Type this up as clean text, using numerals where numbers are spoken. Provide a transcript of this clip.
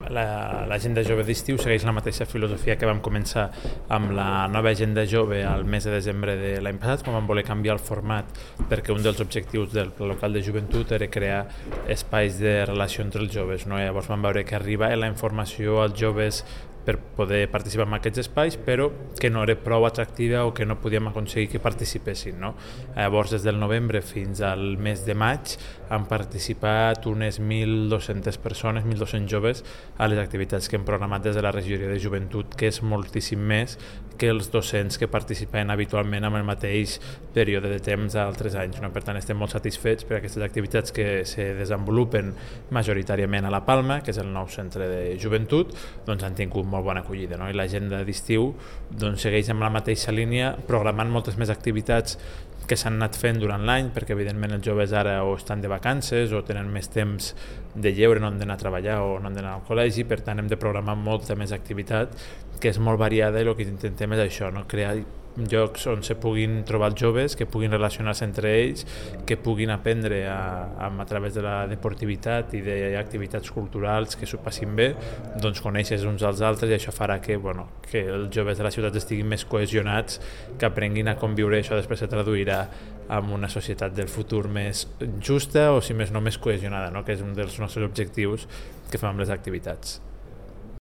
l'agenda jove d'estiu segueix la mateixa filosofia que vam començar amb la nova agenda jove al mes de desembre de l'any passat, quan vam voler canviar el format perquè un dels objectius del Pla Local de Joventut era crear espais de relació entre els joves, no? Llavors vam veure que arribava la informació als joves per poder participar en aquests espais, però que no era prou atractiva o que no podíem aconseguir que participessin, no? Llavors, des del novembre fins al mes de maig han participat unes 1.200 persones, 1.200 joves a les activitats que hem programat des de la regidoria de joventut, que és moltíssim més que els 200 que participen habitualment en el mateix període de temps d'altres anys, no? Per tant, estem molt satisfets per aquestes activitats que se desenvolupen majoritàriament a La Palma, que és el nou centre de joventut, doncs han tingut molt bona acollida, no? I l'agenda d'estiu doncs, segueix amb la mateixa línia, programant moltes més activitats que s'han anat fent durant l'any, perquè evidentment els joves ara o estan de vacances o tenen més temps de lleure, no han d'anar a treballar o no han d'anar al col·legi, per tant hem de programar molta més activitat, que és molt variada, i el que intentem és això, no? Crear llocs on se puguin trobar els joves, que puguin relacionar-se entre ells, que puguin aprendre a través de la deportivitat i d'activitats culturals que s'ho passin bé, doncs conèixer uns als altres, i això farà que els joves de la ciutat estiguin més cohesionats, que aprenguin a conviure, això després se traduirà en una societat del futur més justa o, si més no, més cohesionada, no? Que és un dels nostres objectius que fem amb les activitats.